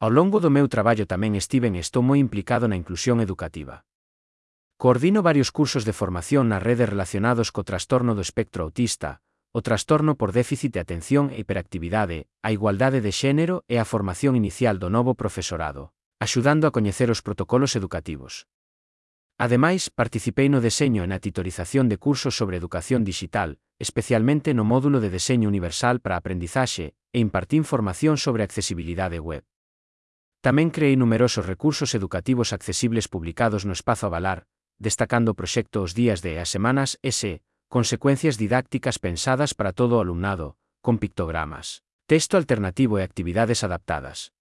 Ao longo do meu traballo tamén estiven e estou moi implicado na inclusión educativa. Coordino varios cursos de formación nas redes relacionados co trastorno do espectro autista, o trastorno por déficit de atención e hiperactividade, a igualdade de xénero e a formación inicial do novo profesorado, axudando a coñecer os protocolos educativos. Ademais, participei no deseño e na titorización de cursos sobre educación dixital, especialmente no módulo de deseño universal para a aprendizaxe, e impartín formación sobre accesibilidade web. Tamén creei numerosos recursos educativos accesibles publicados no espazo Avalar, destacando o proxecto Os días de e as semanas S, consecuencias didácticas pensadas para todo o alumnado, con pictogramas, texto alternativo e actividades adaptadas.